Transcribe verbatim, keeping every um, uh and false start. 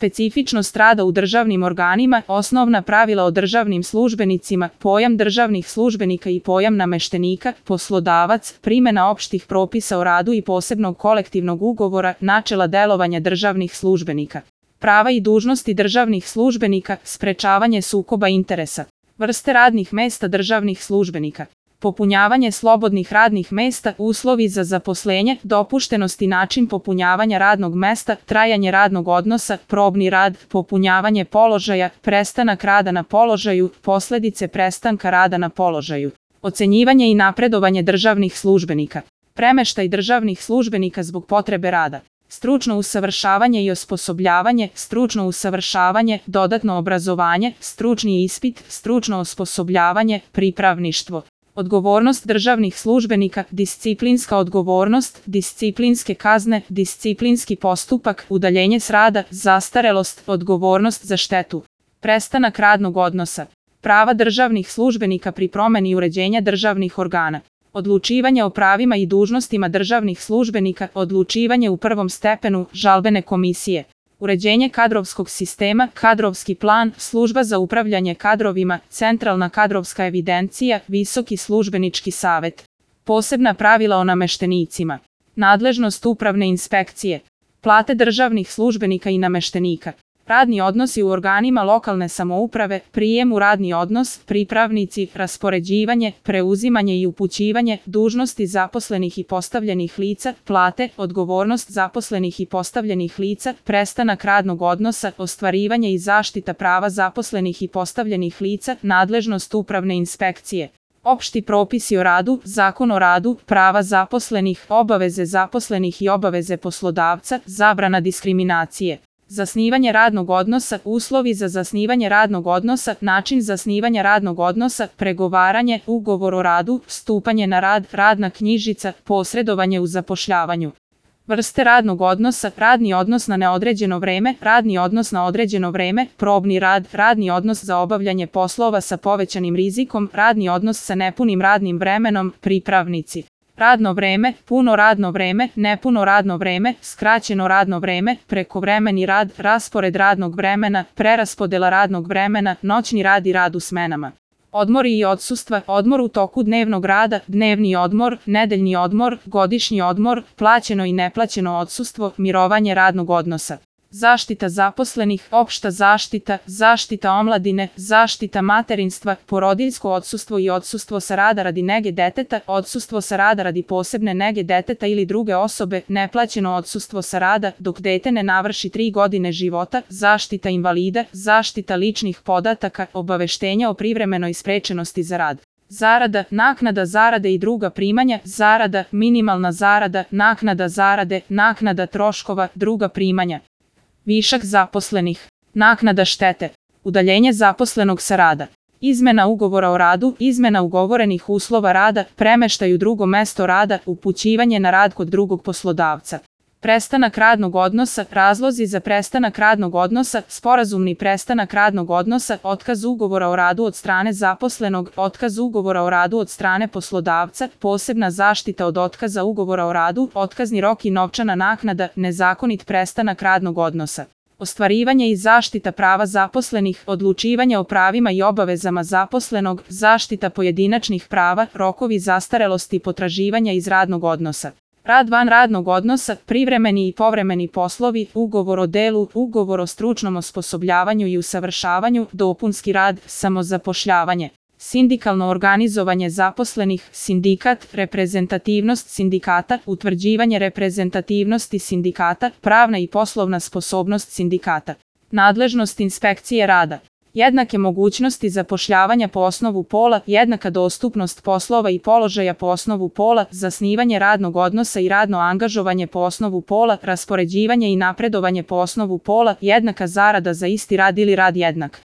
specifičnost rada u državnim organima, osnovna pravila o državnim službenicima, pojam državnih službenika i pojam nameštenika, poslodavac, primjena opštih propisa o radu i posebnog kolektivnog ugovora, načela delovanja državnih službenika. Prava i dužnosti državnih službenika, sprečavanje sukoba interesa. Vrste radnih mesta državnih službenika. Popunjavanje slobodnih radnih mesta, uslovi za zaposlenje, dopuštenost i način popunjavanja radnog mesta, trajanje radnog odnosa, probni rad, popunjavanje položaja, prestanak rada na položaju, posledice prestanka rada na položaju. Ocenjivanje i napredovanje državnih službenika. Premeštaj državnih službenika zbog potrebe rada. Stručno usavršavanje i osposobljavanje, stručno usavršavanje, dodatno obrazovanje, stručni ispit, stručno osposobljavanje, pripravništvo. Odgovornost državnih službenika, disciplinska odgovornost, disciplinske kazne, disciplinski postupak, udaljenje s rada, zastarelost, odgovornost za štetu. Prestanak radnog odnosa. Prava državnih službenika pri promeni uređenja državnih organa. Odlučivanje o pravima i dužnostima državnih službenika, odlučivanje u prvom stepenu, žalbene komisije. Uređenje kadrovskog sistema, kadrovski plan, služba za upravljanje kadrovima, centralna kadrovska evidencija, visoki službenički savet. Posebna pravila o nameštenicima. Nadležnost upravne inspekcije. Plate državnih službenika i nameštenika. Radni odnosi u organima lokalne samouprave, prijem u radni odnos, pripravnici, raspoređivanje, preuzimanje i upućivanje, dužnosti zaposlenih i postavljenih lica, plate, odgovornost zaposlenih i postavljenih lica, prestanak radnog odnosa, ostvarivanje i zaštita prava zaposlenih i postavljenih lica, nadležnost upravne inspekcije. Opšti propisi o radu, zakon o radu, prava zaposlenih, obaveze zaposlenih i obaveze poslodavca, zabrana diskriminacije. Zasnivanje radnog odnosa, uslovi za zasnivanje radnog odnosa, način zasnivanja radnog odnosa, pregovaranje, ugovor o radu, stupanje na rad, radna knjižica, posredovanje u zapošljavanju. Vrste radnog odnosa, radni odnos na neodređeno vreme, radni odnos na određeno vreme, probni rad, radni odnos za obavljanje poslova sa povećanim rizikom, radni odnos sa nepunim radnim vremenom, pripravnici. Radno vreme, puno radno vreme, nepuno radno vreme, skraćeno radno vreme, prekovremeni rad, raspored radnog vremena, preraspodela radnog vremena, noćni rad i rad u smenama. Odmori i odsustva, odmor u toku dnevnog rada, dnevni odmor, nedeljni odmor, godišnji odmor, plaćeno i neplaćeno odsustvo, mirovanje radnog odnosa. Zaštita zaposlenih, opšta zaštita, zaštita omladine, zaštita materinstva, porodiljsko odsustvo i odsustvo sa rada radi nege deteta, odsustvo sa rada radi posebne nege deteta ili druge osobe, neplaćeno odsustvo sa rada dok dete ne navrši tri godine života, zaštita invalida, zaštita ličnih podataka, obaveštenja o privremenoj sprečenosti za rad. Zarada, naknada zarade i druga primanja, zarada, minimalna zarada, naknada zarade, naknada troškova, druga primanja. Višak zaposlenih. Naknada štete. Udaljenje zaposlenog sa rada. Izmena ugovora o radu, izmena ugovorenih uslova rada, premeštaj u drugo mesto rada, upućivanje na rad kod drugog poslodavca. Prestanak radnog odnosa, razlozi za prestanak radnog odnosa, sporazumni prestanak radnog odnosa, otkaz ugovora o radu od strane zaposlenog, otkaz ugovora o radu od strane poslodavca, posebna zaštita od otkaza ugovora o radu, otkazni rok i novčana naknada, nezakonit prestanak radnog odnosa. Ostvarivanje i zaštita prava zaposlenih, odlučivanje o pravima i obavezama zaposlenog, zaštita pojedinačnih prava, rokovi zastarelosti i potraživanja iz radnog odnosa. Rad van radnog odnosa, privremeni i povremeni poslovi, ugovor o delu, ugovor o stručnom osposobljavanju i usavršavanju, dopunski rad, samozapošljavanje. Sindikalno organizovanje zaposlenih, sindikat, reprezentativnost sindikata, utvrđivanje reprezentativnosti sindikata, pravna i poslovna sposobnost sindikata. Nadležnost inspekcije rada. Jednake mogućnosti zapošljavanja po osnovu pola, jednaka dostupnost poslova i položaja po osnovu pola, zasnivanje radnog odnosa i radno angažovanje po osnovu pola, raspoređivanje i napredovanje po osnovu pola, jednaka zarada za isti rad ili rad jednak.